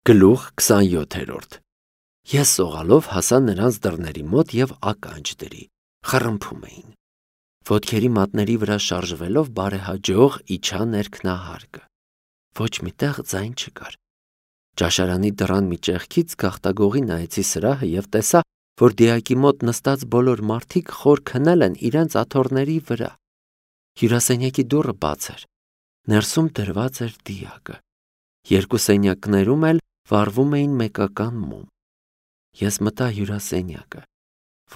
Գլուխ 27 Ես սողալով հասա նրանց դռների մոտ և ականջ դրի, խռմփում էին։ Ոտքերի մատների վրա շարժվելով բարեհաջող իջա ներքնահարկը։ Ոչ մի տեղ ձայն չկար։ Ճաշարանի դռան մի ճեղքից գաղտագողի նայեցի սրահը և տեսա, որ դիակի մոտ նստած բոլոր մարդիկ խոր քնել են իրենց աթոռների վրա։ Հյուրասենյակի դուռը բաց էր։ Ներսում դրված էր դիակը։ Երկու սենյակներում էլ վառվում էին մեկական մոմ։ Ես մտա հյուրասենյակը։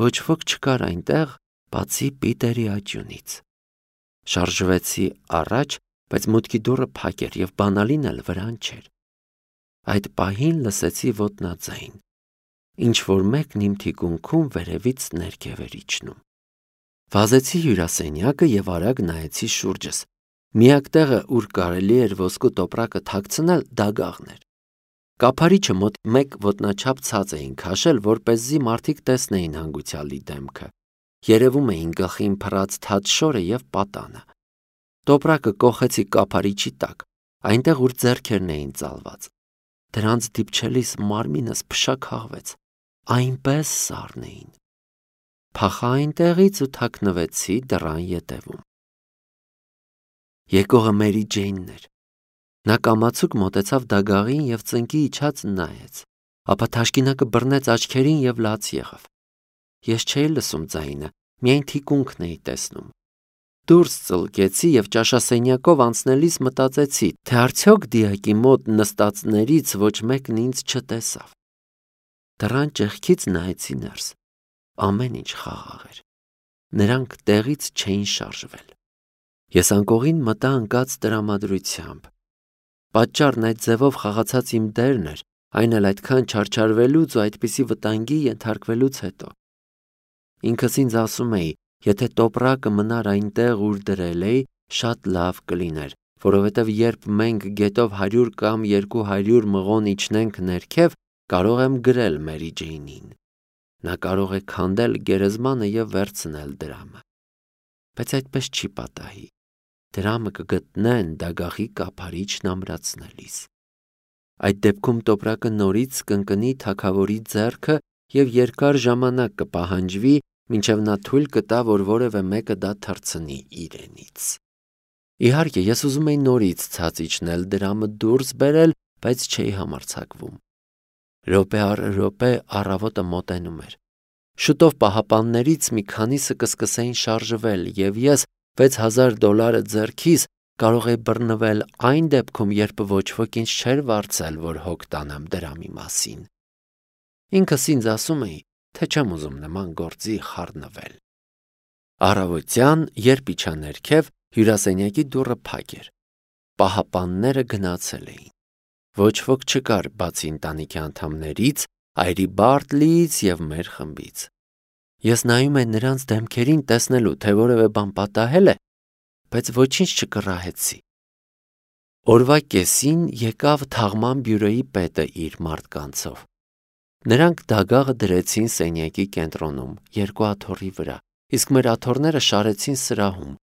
Ոչ ոք չկար այնտեղ, բացի Պիտերի աջյունից։ Շարժվեցի առաջ, բայց մուտքի դուռը փակ էր և բանալին էլ վրան չէր։ Այդ պահին լսեցի ոտնաձայն։ Ինչ-որ մեկն իմ թիկունքում վերևից ներքև էր իջնում։ Վազեցի հյուրասենյակը և արագ նայեցի շուրջս։ Միակ տեղը, ուր կարելի էր ոսկու տոպրակը թաքցնել, դագաղն էր։ Կափարիչը մոտ 1 ոտնաչափ ցած էին քաշել, որպեսզի մարդիկ տեսնեին հանգուցյալի դեմքը։ Երևում էին գլխին փռած թաց շորը և պատանը։ Տոպրակը կոխեցի կափարիչի տակ, այնտեղ, ուր ձեռքերն էին ծալված։ Դրանց դիպչելիս մարմինս փշաքաղվեց, այնպես սառն էին։ Փախա այնտեղից ու թաքնվեցի դռան ետևում։ Եկողը Մերի Ջեյնն էր։ Նա կամացուկ մոտեցավ դագաղին և ծնկի իջած նայեց, ապա թաշկինակը բռնեց աչքերին և լաց եղավ։ Ես չէի լսում ձայնը, միայն թիկունքն էի տեսնում։ Դուրս ծլկեցի և ճաշասենյակով անցնելիս մտածեցի, թե արդյոք դիակի մոտ նստածներից ոչ մեկն ինձ չտեսավ։ Դռան ճեղքից նայեցի ներս։ Ամեն ինչ խաղաղ էր։ Նրանք տեղից չէին շարժվել։ Ես անկողին մտա ընկած տրամադրությամբ։ Պատճառն այդ ձևով խաղացած իմ դերն էր, այն էլ այդքան չարչարվելուց ու այդպիսի վտանգի ենթարկվելուց հետո։ Ինքս ինձ ասում էի, եթե տոպրակը մնար այնտեղ, ուր դրել էի, շատ լավ կլիներ, որովհետև երբ մենք գետով 100 կամ 200 մղոն իջնենք ներքև, կարող եմ գրել Մերի Ջեյնին։ Նա կարող է քանդել գերեզմանը և վերցնել դրամը։ Բայց այդպես չի պատահի։ Դրամը կգտնեն դագաղի կափարիչն ամրացնելիս։ Այդ դեպքում տոպրակը նորից կընկնի թագավորի ձեռքը և երկար ժամանակ կպահանջվի, մինչև նա թույլ կտա, որ որևէ մեկը դա թռցնի իրենից։ Իհարկե, ես ուզում էի նորից ցած իջնել դրամը դուրս բերել, բայց չէի համարձակվում։ Րոպե առ րոպե առավոտը մոտենում էր։ Շուտով պահապաններից մի քանիսը կսկսեին շարժվել, և ես $6000 ձեռքիս կարող էի բռնվել այն դեպքում, երբ ոչ ոք ինձ չէր վարձել, որ հոգ տանեմ դրամի մասին։ Ինքս ինձ ասում էի, թե չեմ ուզում նման գործի խառնվել։ Առավոտյան, երբ իջա ներքև, հյուրասենյակի դուռը փակ էր։ Պահապանները գնացել էին։ Ոչ ոք չկար, բացի ընտանիքի անդամներից, այրի Բարտլիից և մեր խմբից։ Ես նայում էի նրանց դեմքերին տեսնելու, թե որևէ բան պատահել է, բայց ոչինչ չկռահեցի։ Օրվա կեսին եկավ թաղման բյուրոյի պետը իր մարդկանցով։ Նրանք դագաղը դրեցին սենյակի կենտրոնում, 2 աթոռի վրա, իսկ մեր աթոռները շարեցին սրահում։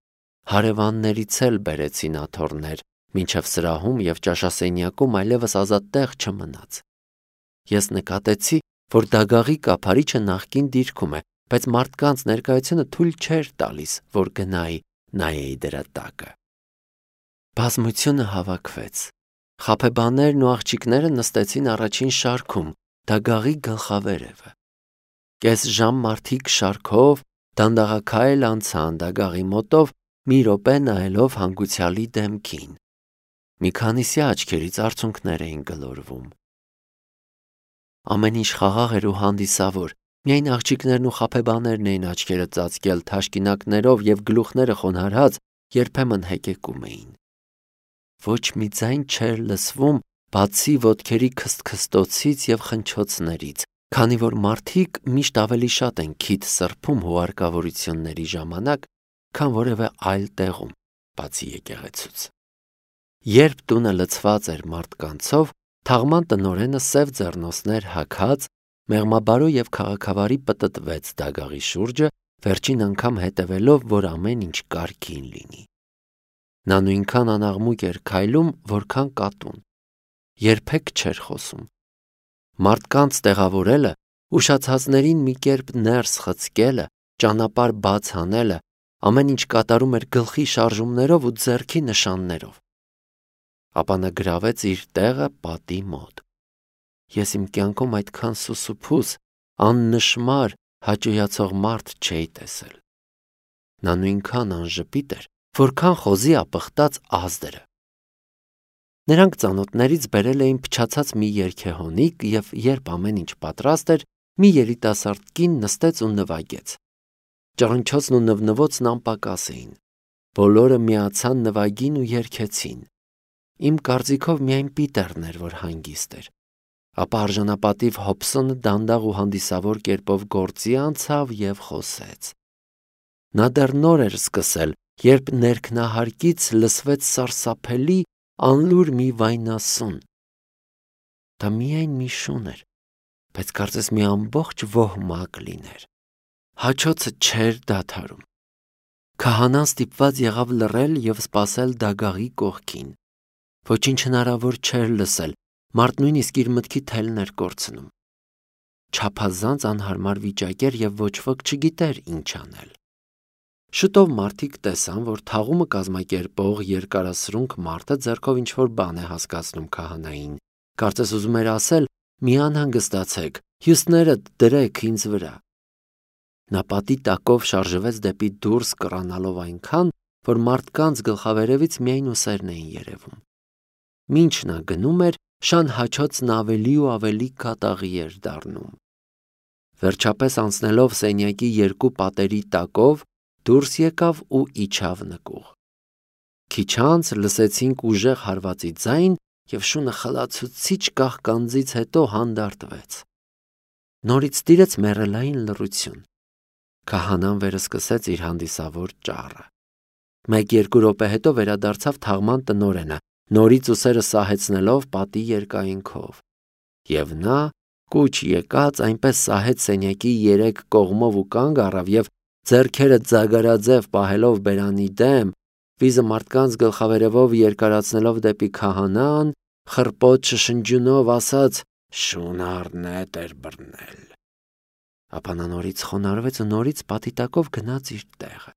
Հարևաններից էլ բերեցին աթոռներ, մինչև սրահում և ճաշասենյակում այլևս ազատ տեղ չմնաց։ Ես նկատեցի, որ դագաղի կափարիչը նախկին դիրքում է, բայց մարդկանց ներկայությունը թույլ չէր տալիս, որ գնայի, նայեի դրա տակը։ Բազմությունը հավաքվեց։ Խաբեբաներն ու աղջիկները նստեցին առաջին շարքում, դագաղի գլխավերևը։ Կես ժամ մարդիկ շարքով դանդաղաքայլ անցան դագաղի մոտով, մի րոպե նայելով հանգուցյալի դեմքին։ Մի քանիսի աչքերից արցունքներ էին գլորվում։ Ամեն ինչ խաղաղ էր ու հանդիսավոր, միայն աղջիկներն ու խաբեբաներն էին աչքերը ծածկել թաշկինակներով և գլուխները խոնարհած երբեմն հեկեկում էին։ Ոչ մի ձայն չէր լսվում, բացի ոտքերի քստքստոցից և խնչոցներից, քանի որ մարդիկ միշտ ավելի շատ են քիթ սրբում հուղարկավորությունների ժամանակ, քան որևէ այլ տեղում, բացի եկեղեցուց։ Երբ տունը լցված էր մարդկանցով, թաղման տնօրենը սև ձեռնոցներ հագած, մեղմաբարո և քաղաքավարի պտտվեց դագաղի շուրջը, վերջին անգամ հետևելով, որ ամեն ինչ կարգին լինի։ Նա նույնքան անաղմուկ էր քայլում, որքան կատուն։ Երբեք չէր խոսում, Մարդկանց տեղավորելը, ուշացածներին մի կերպ ներս խցկելը, ճանապարհ բաց անելը, ամեն ինչ կատարում էր գլխի շարժումներով ու ձեռքի նշաններով։ Ապա նա գրավեց իր տեղը պատի մոտ։ Ես իմ կյանքում այդքան սուսուփուս, աննշմար, հաճոյացող մարդ չէի տեսել։ Նա նույնքան անժպիտ էր, որքան խոզի ապխտած ազդրը։ Նրանք ծանոթներից բերել էին փչացած մի երգեհոնիկ և երբ ամեն ինչ պատրաստ էր, մի երիտասարդ կին նստեց ու նվագեց։ Ճռնչոցն ու նվնվոցն անպակաս էին։ Բոլորը միացան նվագին ու երգեցին։ Իմ կարծիքով միայն Պիտերն էր, որ հանգիստ էր։ Ապա արժանապատիվ Հոբսոնը դանդաղ ու հանդիսավոր կերպով գործի անցավ և խոսեց։ Նա դեռ նոր էր սկսել, երբ ներքնահարկից լսվեց սարսափելի, անլուր մի վայնասուն։ Դա միայն մի շուն էր, բայց կարծես մի ամբողջ ոհմակ լիներ։ Հաչոցը չէր դադարում։ Քահանան ստիպված եղավ լռել և սպասել դագաղի կողքին։ Ոչինչ հնարավոր չէր լսել, մարդ նույնիսկ իր մտքի թելն էր կորցնում։ Չափազանց անհարմար վիճակ էր և ոչ ոք չգիտեր ինչ անել։ Շուտով մարդիկ տեսան, որ թաղումը կազմակերպող երկարասրունք մարդը ձեռքով ինչ-որ բան է հասկացնում քահանային, կարծես ուզում էր ասել. «Մի անհանգստացեք, հյուսներդ դրեք ինձ վրա»։ Նա պատի տակով շարժվեց դեպի դուրս կռանալով այնքան, որ մարդկանց գլխավերևից միայն ուսերն էին երևում։ Մինչ նա գնում էր, շան հաչոցն ավելի ու ավելի կատաղի էր դառնում։ Վերջապես անցնելով սենյակի երկու պատերի տակով, դուրս եկավ ու իջավ նկուղ։ Քիչ անց լսեցինք ուժեղ հարվածի ձայն և շունը խլացուցիչ կաղկանձից հետո հանդարտվեց։ Նորից տիրեց մեռելային լռություն։ Քահանան վերսկսեց իր հանդիսավոր ճառը։ 1-2 րոպե հետո վերադարձավ թաղման տնօրենը, նորից ուսերը սահեցնելով պատի երկայնքով։ Եվ նա, կուչ եկած, այնպես սահեց սենյակի 3 կողմով ու կանգ առավ և ձեռքերը ձագարաձև պահելով բերանի դեմ, վիզը մարդկանց գլխավերևով երկարացնելով դեպի քահանան, խռպոտ շշնջյունով ասաց. «Շուն առնետ էր բռնել»։ Ապա նա նորից խոնարհվեց ու նորից պատի տակով գնաց իր տեղը։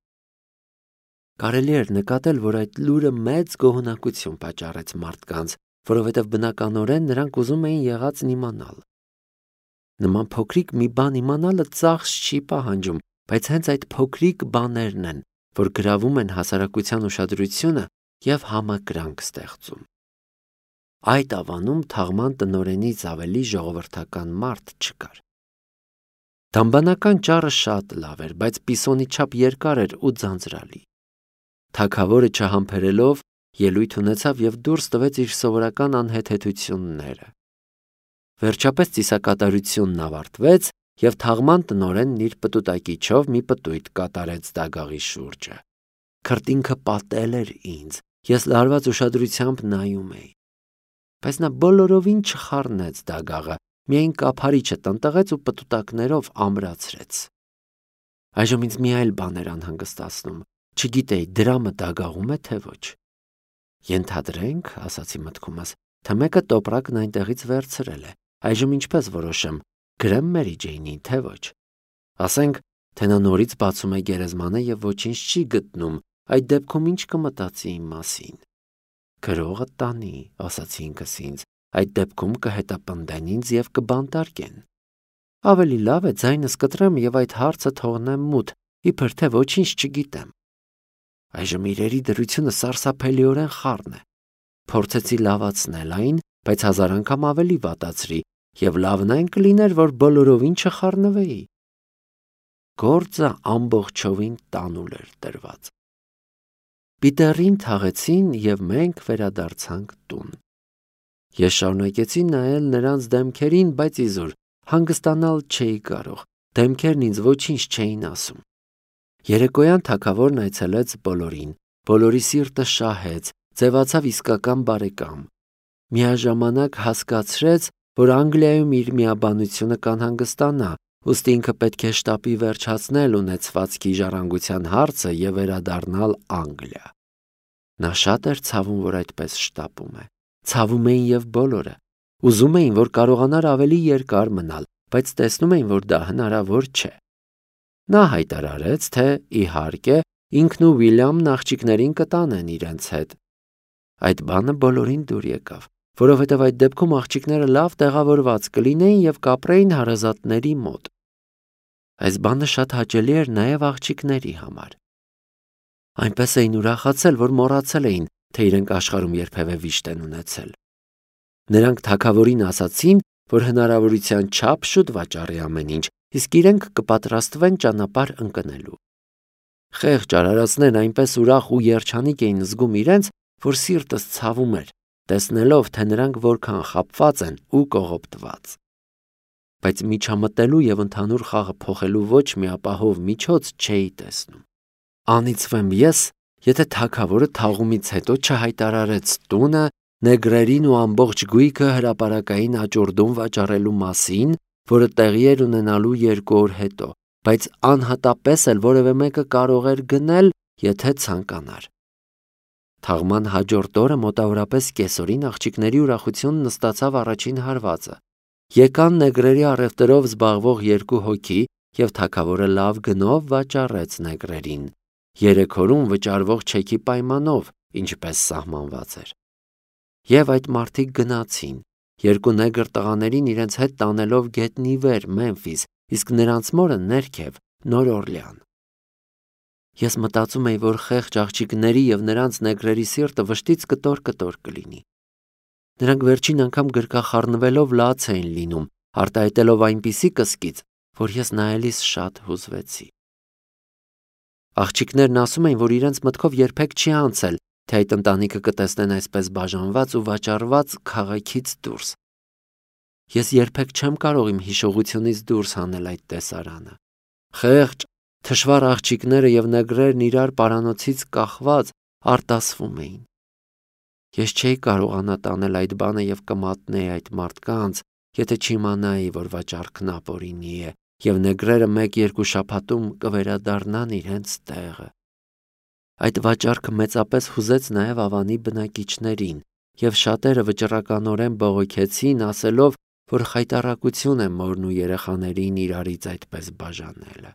Կարելի էր նկատել, որ այդ լուրը մեծ գոհունակություն պատճառեց մարդկանց, որովհետև բնականորեն նրանք ուզում էին եղածն իմանալ։ Նման փոքրիկ մի բան իմանալը ծախս չի պահանջում, բայց հենց այդ փոքրիկ բաներն են, որ գրավում են հասարակության ուշադրությունը և համակրանք ստեղծում։ Այդ ավանում թաղման տնօրենից ավելի ժողովրդական մարդ չկար։ Դամբանական ճառը շատ լավ էր, բայց պիսոնի չափ երկար էր ու ձանձրալի։ Թագավորը չհամբերելով ելույթ ունեցավ և դուրս տվեց իր սովորական անհեթեթությունները։ Վերջապես ծիսակատարությունն ավարտվեց, և թաղման տնօրենն իր պտուտակիչով մի պտույտ կատարեց դագաղի շուրջը։ Քրտինքը պատել էր ինձ, ես լարված ուշադրությամբ նայում էի։ Բայց նա բոլորովին չխառնեց դագաղը, միայն կափարիչը տնտղեց ու պտուտակներով ամրացրեց։ Այժմ ինձ մի այլ բան էր անհանգստացնում, չգիտեի դրամը դագաղում է, թե ոչ։ Ենթադրենք, ասացի մտքումս, թե մեկը տոպրակն այնտեղից վերցրել է, այժմ ինչպես որոշեմ, գրեմ Մերի Ջեյնին, թե ոչ։ Ասենք, թե նա նորից բացում է գերեզմանը և ոչինչ չի գտնում, այդ դեպքում ինչ կմտածի իմ մասին։ Գրողը տանի, ասացի ինքս ինձ, այդ դեպքում կհետապնդեն ինձ և կբանտարկեն։ Ավելի լավ է ձայնս կտրեմ և այդ հարցը թողնեմ մութ, իբր թե ոչինչ չգիտեմ։ Այժմ իրերի դրությունը սարսափելիորեն խառն է։ Փորձեցի լավացնել այն, բայց 1000 անգամ ավելի վատացրի, և լավն այն կլիներ, որ բոլորովին չխառնվեի։ Գործը ամբողջովին տանուլ էր տրված։ Պիտերին թաղեցին և մենք վերադարձանք տուն։ Ես շարունակեցի նայել նրանց դեմքերին, բայց իզուր հանգստանալ չէի կարող, դեմքերն ինձ ոչինչ չէին ասում։ Երեկոյան թագավորն այցելեց բոլորին, բոլորի սիրտը շահեց, ձևացավ իսկական բարեկամ։ Միաժամանակ հասկացրեց, որ Անգլիայում իր միաբանությունը կանհանգստանա, ուստի ինքը պետք է շտապի վերջացնել ունեցվածքի ժառանգության հարցը և վերադառնալ Անգլիա։ Նա շատ էր ցավում, որ այդպես շտապում է։ Ցավում էին և բոլորը, Ուզում էին, որ կարողանար ավելի երկար մնալ, բայց տեսնում էին, որ դա հնարավոր չէ։ Նա հայտարարեց, թե իհարկե ինքն ու Ուիլյամն աղջիկներին կտանեն իրենց հետ։ Այդ բանը բոլորին դուր եկավ, որովհետև այդ դեպքում աղջիկները լավ տեղավորված կլինեին և կապրեին հարազատների մոտ։ Այս բանը շատ հաճելի էր նաև աղջիկների համար։ Այնպես էին ուրախացել, որ մոռացել էին, թե իրենք աշխարհում երբևէ վիշտ են ունեցել։ Նրանք թագավորին ասացին, որ հնարավորության չափ շուտ վաճառի ամեն ինչ, իսկ իրենք կպատրաստվեն ճանապարհ ընկնելու։ Խեղճ արարածներն այնպես ուրախ ու երջանիկ էին զգում իրենց, որ սիրտս ցավում էր, տեսնելով, թե նրանք որքան խաբված են ու կողոպտված։ Բայց միջամտելու և ընդհանուր խաղը փոխելու ոչ մի ապահով միջոց չէի տեսնում։ Անիծվեմ ես, եթե թագավորը թաղումից հետո չհայտարարեց տունը, նեգրերին ու ամբողջ գույքը հրապարակային աճուրդում վաճառելու մասին, որը տեղի էր ունենալու 2 օր հետո, բայց անհատապես էլ որևէ մեկը կարող էր գնել, եթե ցանկանար։ Թաղման հաջորդ օրը մոտավորապես կեսօրին աղջիկների ուրախությունն նստացավ առաջին հարվածը։ Եկան նեգրերի առևտրով զբաղվող 2 հոգի, և թագավորը լավ գնով վաճառեց նեգրերին, 3 օրում վճարվող չեքի պայմանով, ինչպես սահմանված էր։ Եվ այդ մարդիկ գնացին, 2 նեգր տղաներին իրենց հետ տանելով գետնի վեր Մեմֆիս, իսկ նրանց մորը ներքև Նոր Օրլեան։ Ես մտածում էի, որ խեղճ աղջիկների և նրանց նեգրերի սիրտը վշտից կտոր կլինի։ Նրանք վերջին անգամ գրկախառնվելով լաց էին լինում, արտահայտելով այնպիսի կսկիծ, որ ես նայելիս շատ հուզվեցի։ Աղջիկներն ասում էին, որ իրենց մտքով երբեք չի անցել, թե այդ ընտանիքը կտեսնեն այսպես բաժանված ու վաճառված քաղաքից դուրս։ Ես երբեք չեմ կարող իմ հիշողությունից դուրս հանել այդ տեսարանը։ Խեղճ, թշվառ աղջիկները և նեգրերն իրար պարանոցից կախված արտասվում էին։ Ես չէի կարողանա տանել այդ բանը և կմատնեի այդ մարդկանց, եթե չիմանայի, որ վաճառքն ապօրինի է, և նեգրերը 1-2 շաբաթում կվերադառնան իրենց տեղը։ Այդ վաճառքը մեծապես հուզեց նաև Ավանի բնակիչներին, և շատերը վճռականորեն բողոքեցին, ասելով, որ խայտառակություն է մորն ու երեխաներին իրարից այդպես բաժանելը։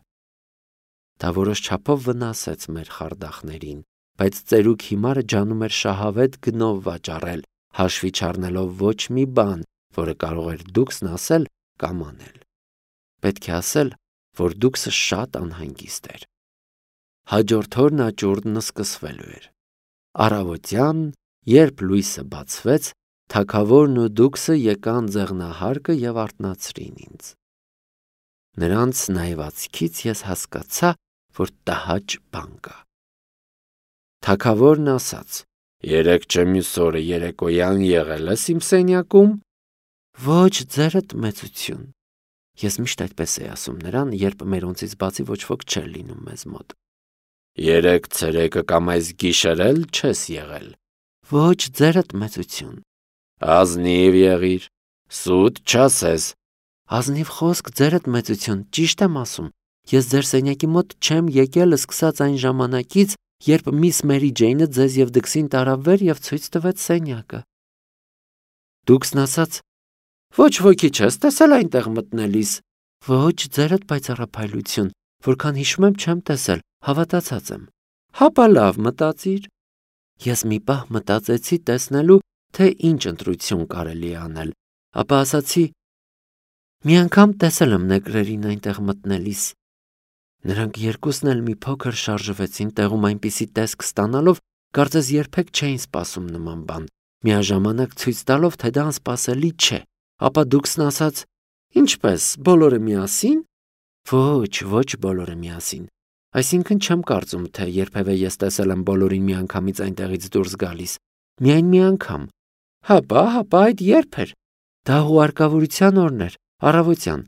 Դա որոշ չափով վնասեց մեր խարդախներին, բայց ծերուկ հիմարը ջանում էր շահավետ գնով վաճառել, հաշվի չառնելով ոչ մի բան, որը կարող էր դուքսն ասել կամ անել։ Պետք է ասել, որ դուքսը շատ անհանգիստ էր։ Հաջորդ օրն աճուրդն սկսվելու էր։ Առավոտյան, երբ լույսը բացվեց, թագավորն ու դուքսը եկան ձեղնահարկը և արթնացրին ինձ։ Նրանց նայվածքից ես հասկացա, որ տհաճ բան կա։ Թագավորն ասաց. «Երեկ չեմյուս օրը երեկոյան եղել ես իմ սենյակում»։ Ոչ, ձերդ մեծություն։ Ես միշտ այդպես էի ասում նրան, երբ մերոնցից բացի ոչ ոք չէր լինում մեզ մոտ։ Երեկ ցերեկը կամ այս գիշերել չես եղել։ Ոչ, ձերդ մեծություն։ Ազնիվ եղիր, սուտ չասես։ Ազնիվ խոսք, ձերդ մեծություն, ճիշտ եմ ասում։ Ես ձեր սենյակի մոտ չեմ եկել սկսած այն ժամանակից, երբ միս Մերի Ջեյնը ձեզ և դքսին տարավ վեր և ցույց տվեց սենյակը։ Դուքսն ասաց. ոչ ոքի չես տեսել այնտեղ մտնելիս։ Ոչ, ձերդ պայծառափայլություն, որքան հիշում եմ չեմ տեսել, հավատացած եմ։ Հապա լավ մտածիր։ Ես մի պահ մտածեցի տեսնելու, թե ինչ ընտրություն կարելի է անել, ապա ասացի. մի անգամ տեսել եմ նեգրերին այնտեղ մտնելիս։ Նրանք երկուսն էլ մի փոքր շարժվեցին տեղում այնպիսի տեսք ստանալով, կարծես երբեք չէին սպասում նման բան, միաժամանակ ցույց տալով, թե դա անսպասելի չէ, ապա դուքսն ասաց. ինչպես, բոլորը միասին։ Ոչ բոլորը միասին։ Այսինքն չեմ կարծում, թե երբևէ ես տեսել եմ բոլորին միանգամից այնտեղից դուրս գալիս։ Միայն մի անգամ։ Հապա այդ երբ էր։ Դա հուարկավորության օրն էր, առավոտյան։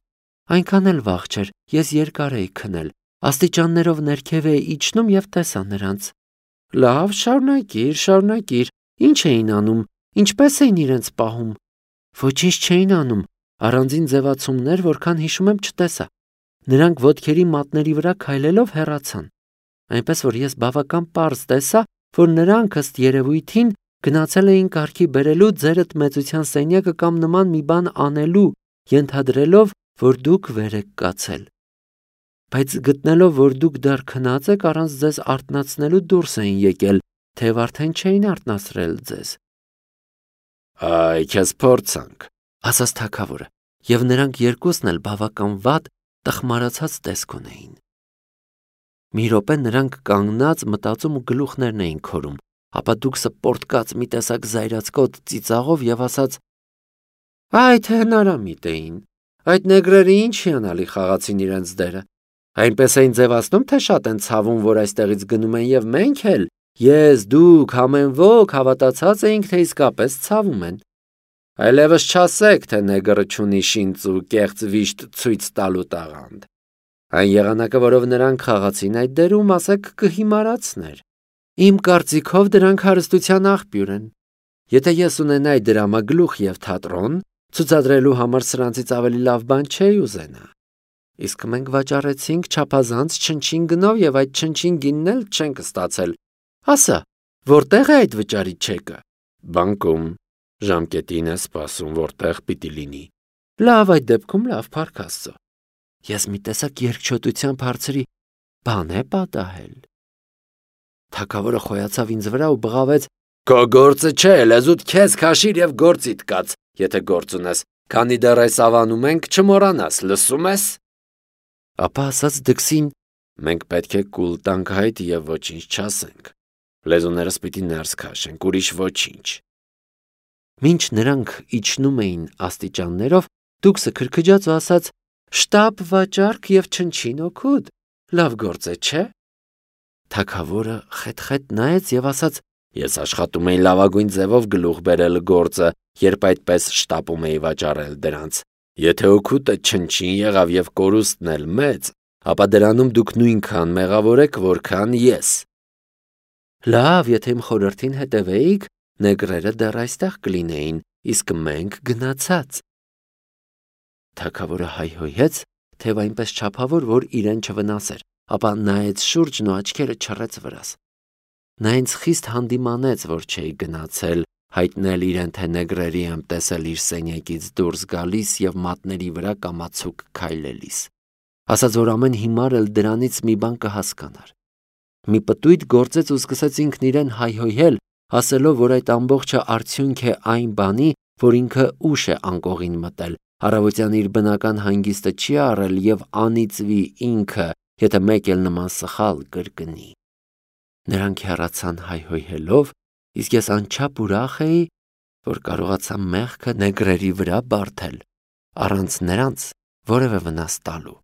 Այնքան էլ վաղ չէր, ես երկար էի քնել, աստիճաններով ներքև էի իջնում և տեսա նրանց։ Լավ, շարունակիր, ինչ էին անում, ինչպես էին իրենց պահում։ Ոչինչ չէին անում, առանձին ձևացումներ, որքան հիշում եմ չտեսա։ Նրանք ոտքերի մատների վրա քայլելով հեռացան։ Այնպես որ ես բավական պարզ տեսա, որ նրանք ըստ երևույթին Գնացել էին կարգի բերելու ձերդ մեծության սենյակը կամ նման մի բան անելու, ենթադրելով, որ դուք վեր եք կացել։ Բայց գտնելով, որ դուք դեռ քնած եք, առանց ձեզ արթնացնելու դուրս էին եկել, թեև արդեն չէին արթնացրել ձեզ։ Այ քեզ փորձանք, ասաց թագավորը, եւ նրանք երկուսն էլ բավական վատ տխմարացած տեսք ունեին։ Մի րոպե նրանք կանգնած մտածում ու գլուխներն էին քորում, ապա դուքսը պորտկաց մի տեսակ զայրացկոտ ծիծաղով եւ ասաց. «Այ թե հնարամիտ էին, այդ նեգրերը ինչ հիանալի խաղացին իրենց դերը, այնպես էին ձևացնում, թե շատ են ցավում, որ այստեղից գնում են եւ մենք էլ, ես, դուք, ամեն ոք հավատացած էինք, թե իսկապես ցավում են։ Այլևս չասեք, թե նեգրը չունի շինծ ու կեղծ վիշտ ցույց տալու տաղանդ։ Այն եղանակը, որով նրանք խաղացին այդ դերում, ասեք կհիմարացներ։ Իմ կարծիքով դրանք հարստության աղբյուր են։ Եթե ես ունենայի դրամագլուխ եւ թատրոն, ցուցադրելու համար սրանցից ավելի լավ բան չէի ուզենա։ Իսկ մենք վաճառեցինք չափազանց չնչին գնով եւ այդ չնչին գինն էլ չենք ստացել։ Ասա, որտեղ է այդ վճարի չեկը։ Բանկում ժամկետին է սպասում, որտեղ պիտի լինի։ Լավ, այդ դեպքում լավ, փառք Աստծո։ Ես մի տեսակ երկչոտությամբ հարցրի. բան է պատահել։ Թագավորը խոյացավ ինձ վրա ու բղավեց. Քո գործը չէ, լեզուդ քեզ քաշիր եւ գործիդ կաց, եթե գործ ունես, քանի դեռ այս ավանում ենք, չմոռանաս, լսում ես։ Ապա ասաց դքսին. մենք պետք է կուլ տանք հայտ եւ ոչինչ չասենք։ Լեզուներս պիտի ներս քաշենք, ուրիշ ոչինչ։ Մինչ նրանք իջնում էին աստիճաններով, դուքսը քրքջաց ու ասաց. շտապ վաճառք եւ չնչին օգուտ, լավ գործ է, չէ։ Թագավորը խետ-խետ նայեց եւ ասաց. ես աշխատում էի լավագույն ձևով գլուխ բերել գործը, երբ այդպես շտապում էի վաճառել դրանց։ Եթե օգուտը չնչին եղավ եւ կորուստն էլ մեծ, ապա դրանում դուք նույնքան մեղավոր եք, որքան ես։ Լավ, եթե իմ խորհրդին հետևեիք, նեգրերը դեռ այստեղ կլինեին, իսկ մենք գնացած։ Թագավորը հայհոյեց, թեև այնպես չափավոր, որ իրեն չվնասեր, ապա նայեց շուրջն ու աչքերը չռեց վրաս։ Նա ինձ խիստ հանդիմանեց, որ չէի գնացել, հայտնել իրեն, թե նեգրերի եմ տեսել իր սենյակից դուրս գալիս եւ մատների վրա կամացուկ քայլելիս։ Ասաց, որ ամեն հիմար էլ դրանից մի բան կհասկանար։ Մի պտույտ գործեց ու սկսեց ինքն իրեն հայհոյել, ասելով, որ այդ ամբողջը արդյունք է այն բանի, որ ինքը ուշ է անկողին մտել, առավոտյան իր բնական հանգիստը չի առել եւ անիծվի ինքը, եթե մեկ էլ նման սխալ կրկնի։ Նրանք հեռացան հայհոյելով, իսկ ես անչափ ուրախ էի, որ կարողացա մեղքը նեգրերի վրա բարթել, առանց նրանց որևէ վնաս տալու։